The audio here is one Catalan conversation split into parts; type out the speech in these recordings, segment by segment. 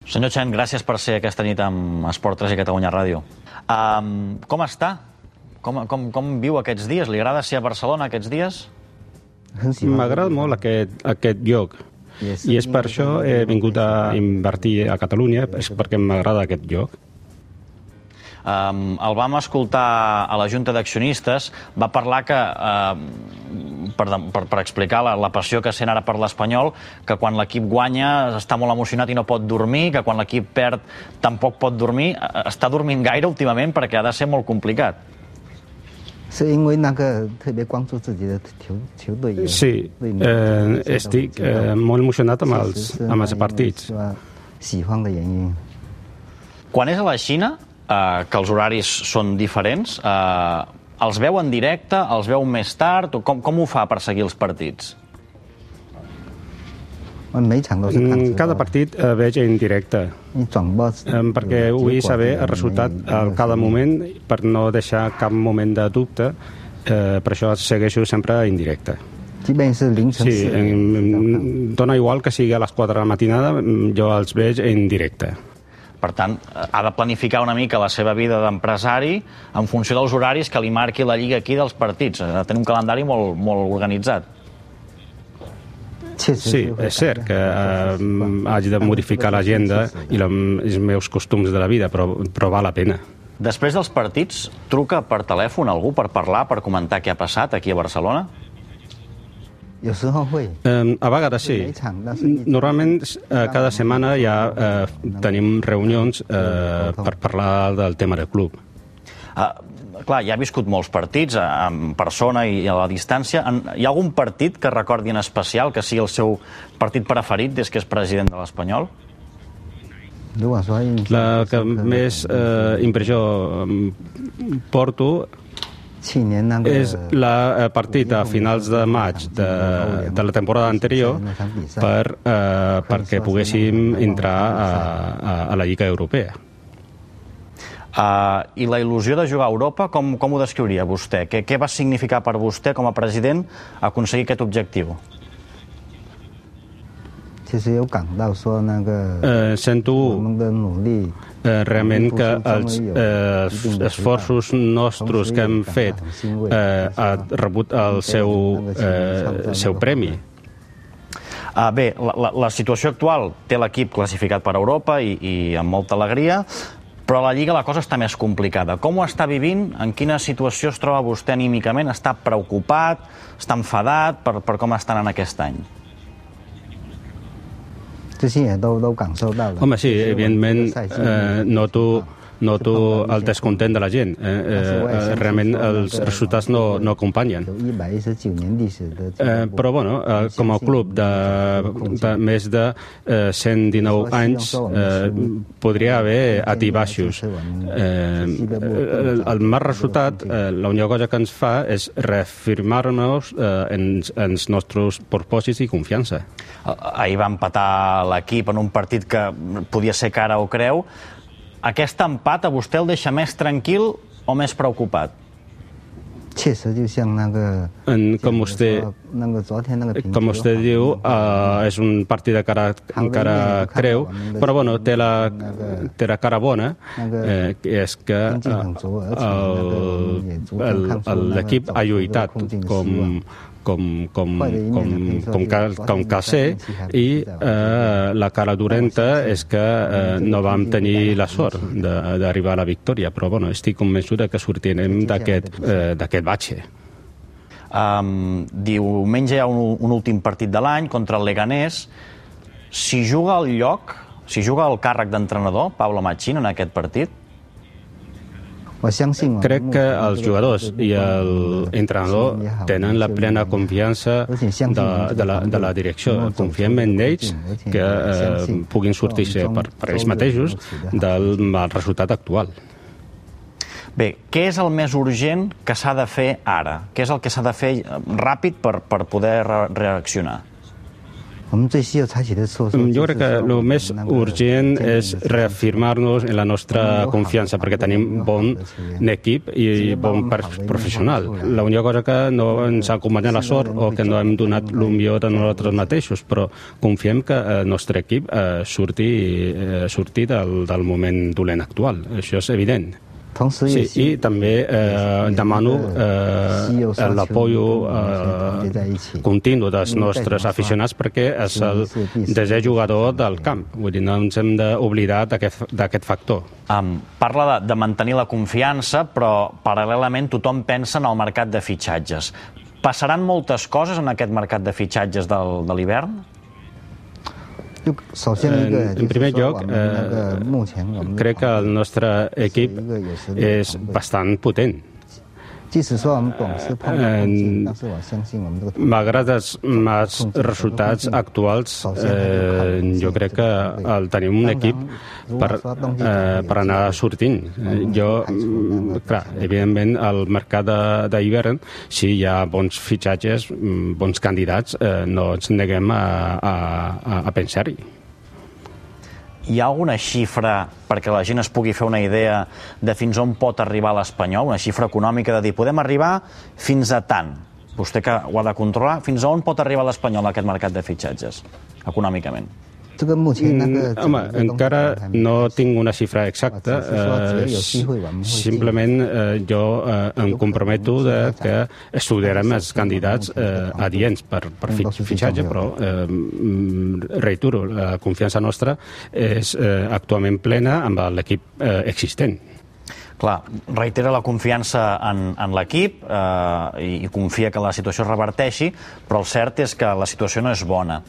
Senyor Chen, gràcies per ser aquesta nit amb Esport 3 i Catalunya Ràdio. Com està? Com viu aquests dies? Li agrada ser a Barcelona aquests dies? M'agrada molt aquest lloc. I és per això he vingut a invertir a Catalunya, és perquè m'agrada aquest lloc. El vam escoltar a la Junta d'Accionistes, va parlar que, per explicar la passió que sent ara per l'Espanyol, que quan l'equip guanya està molt emocionat i no pot dormir, que quan l'equip perd tampoc pot dormir. Està dormint gaire últimament perquè ha de ser molt complicat. Sí, estic molt emocionat amb els partits. Quan és a la Xina, que els horaris són diferents, els veu en directe, els veu més tard? Com ho fa per seguir els partits? Cada partit veig en directe, perquè vull saber el resultat a cada moment per no deixar cap moment de dubte, per això segueixo sempre en directe. Sí, dona igual que sigui a les 4 de la matinada, jo els veig en directe. Per tant, ha de planificar una mica la seva vida d'empresari en funció dels horaris que li marqui la lliga aquí dels partits. Ha de tenir un calendari molt organitzat. Sí, és cert que hagi de modificar l'agenda i els meus costums de la vida, però val la pena. Després dels partits, truca per telèfon algú per parlar, per comentar què ha passat aquí a Barcelona? A vegades sí. Normalment cada setmana ja tenim reunions per parlar del tema del club. Clar, ja ha viscut molts partits en persona i a la distància. Hi ha algun partit que recordi en especial que sigui el seu partit preferit des que és president de l'Espanyol? La que més impressió porto és el partit a finals de maig de la temporada anterior perquè poguéssim entrar a la Lliga Europea. I la il·lusió de jugar a Europa, com ho descriuria vostè? Què va significar per vostè com a president aconseguir aquest objectiu? Sento realment que els esforços nostres que hem fet han rebut el seu premi. Bé, la situació actual té l'equip classificat per Europa i amb molta alegria, però a la Lliga la cosa està més complicada. Com ho està vivint? En quina situació es troba vostè anímicament? Està preocupat? Està enfadat per com estan en aquest any? Home, sí, evidentment noto el descontent de la gent. Realment els resultats no acompanyen. Però, bueno, com a club de més de 119 anys podria haver alts i baixos. El mal resultat, l'única cosa que ens fa és reafirmar-nos en els nostres propòsits i confiança. Ahir va empatar l'equip en un partit que podia ser cara o creu. Aquest empat a vostè el deixa més tranquil o més preocupat? Com vostè diu, és un partit de cara creu, però bueno, té la cara bona, que és que l'equip ha lluitat com cal ser, i la cara dolenta és que no vam tenir la sort d'arribar a la victòria, però bueno, estic convençut que sortirem d'aquest batxe. Diumenge hi ha un últim partit de l'any contra el Leganés. Si juga el càrrec d'entrenador, Pablo Machín, en aquest partit? Crec que els jugadors i l'entrenador tenen la plena confiança de la direcció. Confiem en ells que puguin sortir-se per ells mateixos del mal resultat actual. Bé, què és el més urgent que s'ha de fer ara? Què és el que s'ha de fer ràpid per poder reaccionar? Jo crec que el més urgent és reafirmar-nos en la nostra confiança, perquè tenim bon equip i bon professional. L'única cosa que no ens ha acompanyat la sort o que no hem donat el millor de nosaltres mateixos, però confiem que el nostre equip surti del moment dolent actual. Això és evident. Sí, i també demano l'apoyo continu dels nostres aficionats perquè és el desè jugador del camp. Vull dir, no ens hem d'oblidar d'aquest factor. Parla de mantenir la confiança, però paral·lelament tothom pensa en el mercat de fitxatges. Passaran moltes coses en aquest mercat de fitxatges de l'hivern? En primer lloc, crec que el nostre equip és bastant potent. Malgrat els resultats actuals, jo crec que tenim un equip per anar sortint. Clar, evidentment, al mercat d'hivern, si hi ha bons fitxatges, bons candidats, no ens neguem a pensar-hi. Hi ha alguna xifra perquè la gent es pugui fer una idea de fins on pot arribar l'Espanyol, una xifra econòmica de dir, podem arribar fins a tant? Vostè que ho ha de controlar, fins a on pot arribar l'Espanyol en aquest mercat de fitxatges, econòmicament? Home, encara no tinc una xifra exacta. Simplement jo em comprometo que estudiarem els candidats adients per fitxatge, però reitero, la confiança nostra és actualment plena amb l'equip existent. Clar, reitera la confiança en l'equip i confia que la situació es reverteixi, però el cert és que la situació no és bona.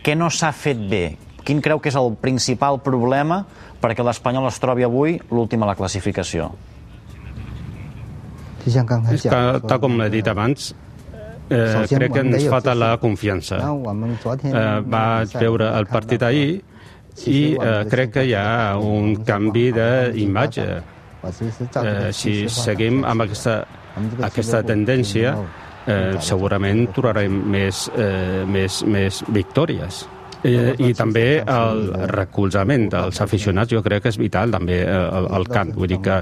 Què no s'ha fet bé? Quin creu que és el principal problema perquè l'Espanyol es trobi avui l'últim a la classificació? Tal com he dit abans, crec que ens falta la confiança. Vaig veure el partit ahir i crec que hi ha un canvi d'imatge. Si seguim amb aquesta tendència, segurament trobarem més victòries. I també el recolzament dels aficionats jo crec que és vital també al camp. Vull dir que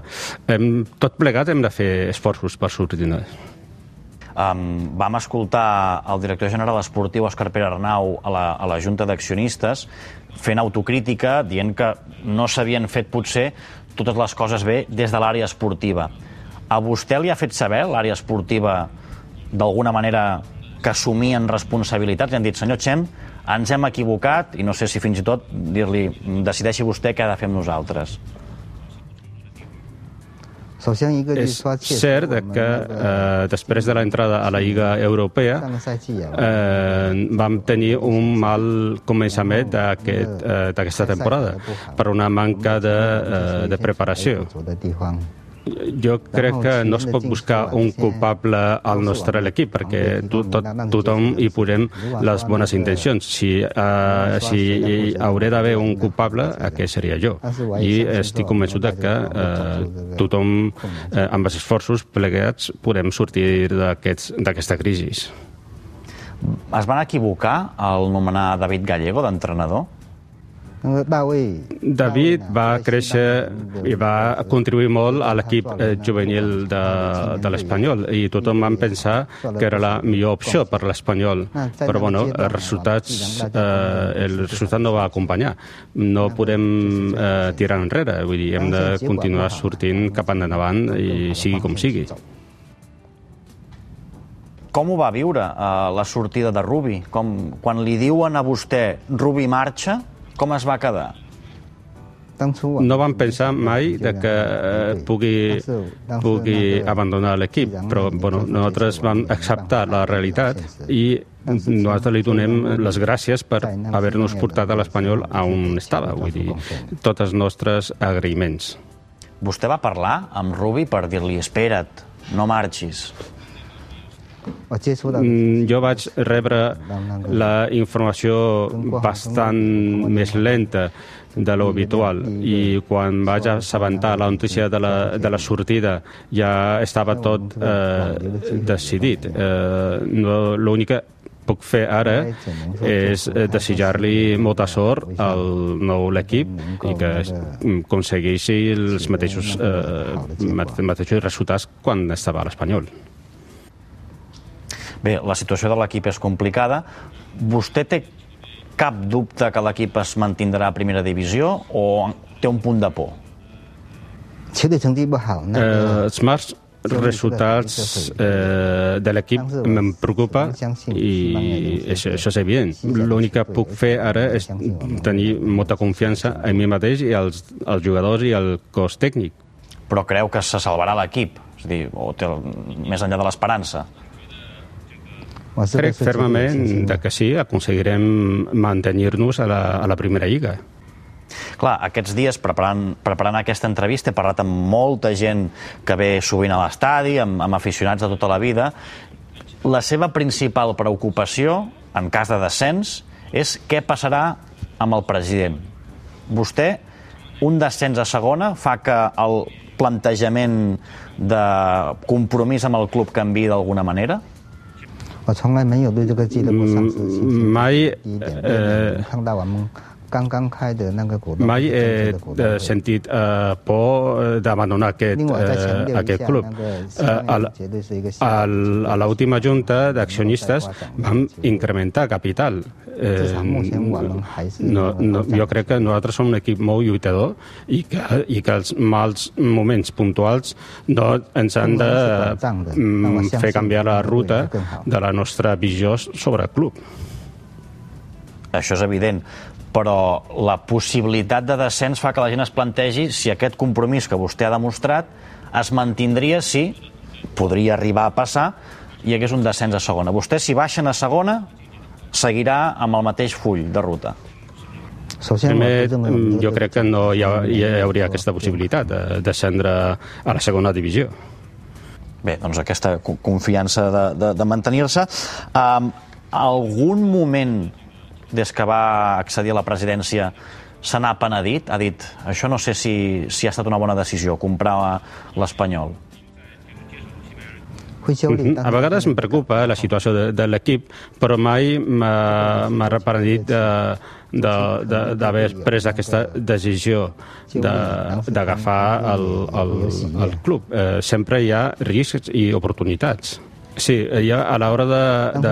tot plegat hem de fer esforços per sortir-ne. Vam escoltar el director general esportiu Òscar Pere Arnau a la Junta d'Accionistes fent autocrítica, dient que no s'havien fet potser totes les coses bé des de l'àrea esportiva. A vostè li ha fet saber l'àrea esportiva d'alguna manera que assumien responsabilitats i han dit, senyor Chen, ens hem equivocat i no sé si fins i tot dir-li decideixi vostè què ha de fer amb nosaltres. És cert que després de l'entrada a la Lliga Europea vam tenir un mal començament d'aquesta temporada per una manca de preparació. Jo crec que no es pot buscar un culpable al nostre equip perquè tothom hi posem les bones intencions. Si hauré d'haver un culpable, aquest seria jo. I estic convençut que tothom, amb els esforços plegats, podem sortir d'aquesta crisi. Es van equivocar al nomenar David Gallego d'entrenador? David va créixer i va contribuir molt a l'equip juvenil de l'Espanyol i tothom va pensar que era la millor opció per l'Espanyol, però bueno, el resultat no va acompanyar. No podem tirar enrere, vull dir, hem de continuar sortint cap endavant i sigui com sigui. Com ho va viure la sortida de Rubi? Quan li diuen a vostè Rubi marxa, com es va quedar? No vam pensar mai que pugui abandonar l'equip, però nosaltres vam acceptar la realitat i nosaltres li donem les gràcies per haver-nos portat a l'Espanyol a on estava, vull dir, tots els nostres agraïments. Vostè va parlar amb Rubi per dir-li espera't, no marxis? Jo vaig rebre la informació bastant més lenta de lo habitual i quan vaig assabentar la notícia de la sortida ja estava tot decidit. L'única puc fer ara és desitjar-li molta sort al nou l'equip i que aconsegueixi els mateixos resultats quan estava a l'Espanyol. Bé, la situació de l'equip és complicada. Vostè té cap dubte que l'equip es mantindrà a primera divisió o té un punt de por? Els mals resultats de l'equip em preocupa i això és evident. L'únic que puc fer ara és tenir molta confiança en mi mateix i els jugadors i el cos tècnic. Però creu que se salvarà l'equip? És a dir, o té més enllà de l'esperança? Crec fermament que sí, aconseguirem mantenir-nos a la primera lliga. Clar, aquests dies, preparant aquesta entrevista, he parlat amb molta gent que ve sovint a l'estadi, amb aficionats de tota la vida. La seva principal preocupació, en cas de descens, és què passarà amb el president. Vostè, un descens a segona, fa que el plantejament de compromís amb el club canviï d'alguna manera? Mai he sentit por d'abandonar aquest club. A l'última junta d'accionistes vam incrementar capital. Jo crec que nosaltres som un equip molt lluitador i que els mals moments puntuals no ens han de fer canviar la ruta de la nostra visió sobre el club. Això és evident, però la possibilitat de descens fa que la gent es plantegi si aquest compromís que vostè ha demostrat es mantindria si podria arribar a passar i hi hagués un descens a segona. Vostè, si baixen a segona, seguirà amb el mateix full de ruta? Primer, jo crec que no hi hauria aquesta possibilitat de descendre a la segona divisió. Bé, doncs aquesta confiança de mantenir-se. Algun moment des que va accedir a la presidència se n'ha penedit? Ha dit, això no sé si ha estat una bona decisió, comprar l'Espanyol. A vegades em preocupa la situació de l'equip, però mai m'ha repenedit d'haver pres aquesta decisió d'agafar el club. Sempre hi ha riscs i oportunitats. Sí, a l'hora de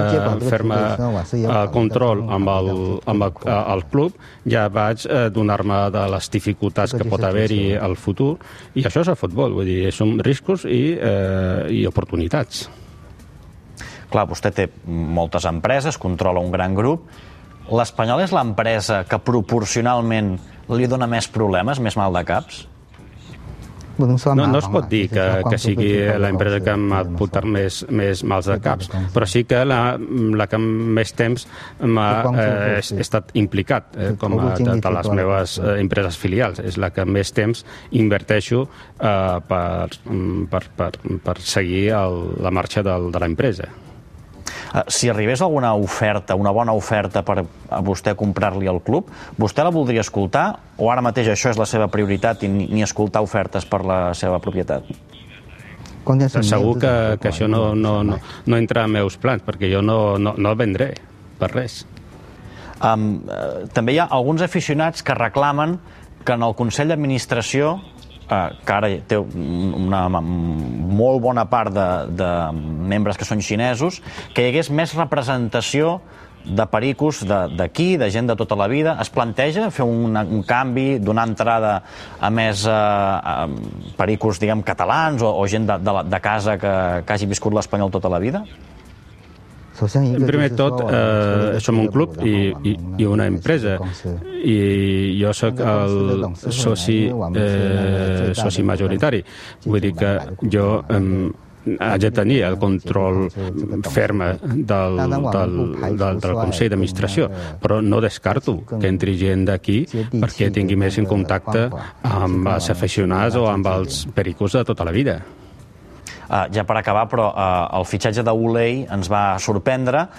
fer-me el control amb el club ja vaig donar-me de les dificultats que pot haver-hi al futur i això és el futbol, vull dir, són riscos i oportunitats. Clar, vostè té moltes empreses, controla un gran grup. L'Espanyol és l'empresa que proporcionalment li dona més problemes, més mal de caps? No es pot dir que sigui l'empresa que m'ha portat més mals de caps, però sí que la que més temps m'ha estat implicat, com a de les meves empreses filials. És la que més temps inverteixo per seguir la marxa de l'empresa. Si arribés alguna oferta, una bona oferta per a vostè comprar-li el club, vostè la voldria escoltar o ara mateix això és la seva prioritat i ni escoltar ofertes per la seva propietat? Segur que això no entra en meus plans, perquè jo no el vendré per res. També hi ha alguns aficionats que reclamen que en el Consell d'Administració, que ara té una molt bona part de membres que són xinesos, que hi hagués més representació de pericos d'aquí, de gent de tota la vida. Es planteja fer un canvi, donar entrada a més pericos, diguem, catalans o gent de casa que hagi viscut l'Espanyol tota la vida? Primer de tot, som un club i una empresa i jo soc el soci majoritari. Vull dir que jo haig de tenir el control ferm del Consell d'Administració, però no descarto que entri gent d'aquí perquè tingui més en contacte amb els aficionats o amb els pericos de tota la vida. Ja per acabar, però el fitxatge d'Ulei ens va sorprendre.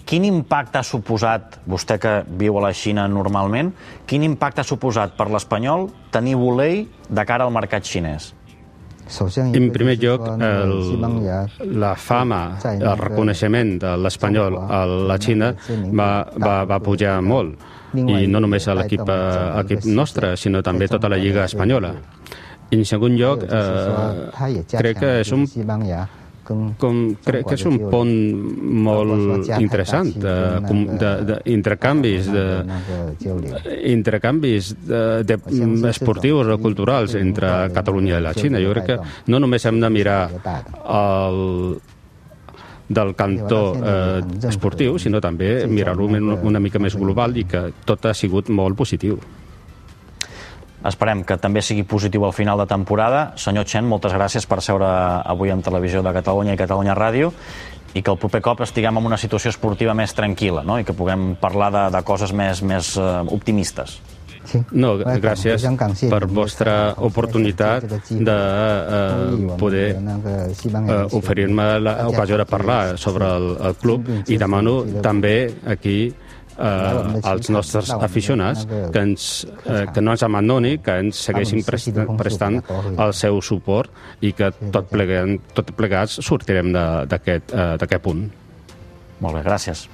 Quin impacte ha suposat, vostè que viu a la Xina normalment, quin impacte ha suposat per l'Espanyol tenir Ulei de cara al mercat xinès? En primer lloc, la fama, el reconeixement de l'espanyol a la Xina va pujar molt, i no només a l'equip nostre, sinó també tota la Lliga Espanyola. En segon lloc, crec que és un pont molt interessant d'intercanvis esportius o culturals entre Catalunya i la Xina. Jo crec que no només hem de mirar del cantó esportiu, sinó també mirar-ho una mica més global, i que tot ha sigut molt positiu. Esperem que també sigui positiu al final de temporada. Senyor Chen, moltes gràcies per seure avui en Televisió de Catalunya i Catalunya Ràdio, i que el proper cop estiguem en una situació esportiva més tranquil·la, no? I que puguem parlar de coses més optimistes. No, gràcies per vostra oportunitat de poder oferir-me l'ocasió de parlar sobre el club, i demano també aquí als nostres aficionats que no ens abandoni, que ens segueixin prestant el seu suport, i que tot plegats sortirem d'aquest punt. Molt bé, gràcies.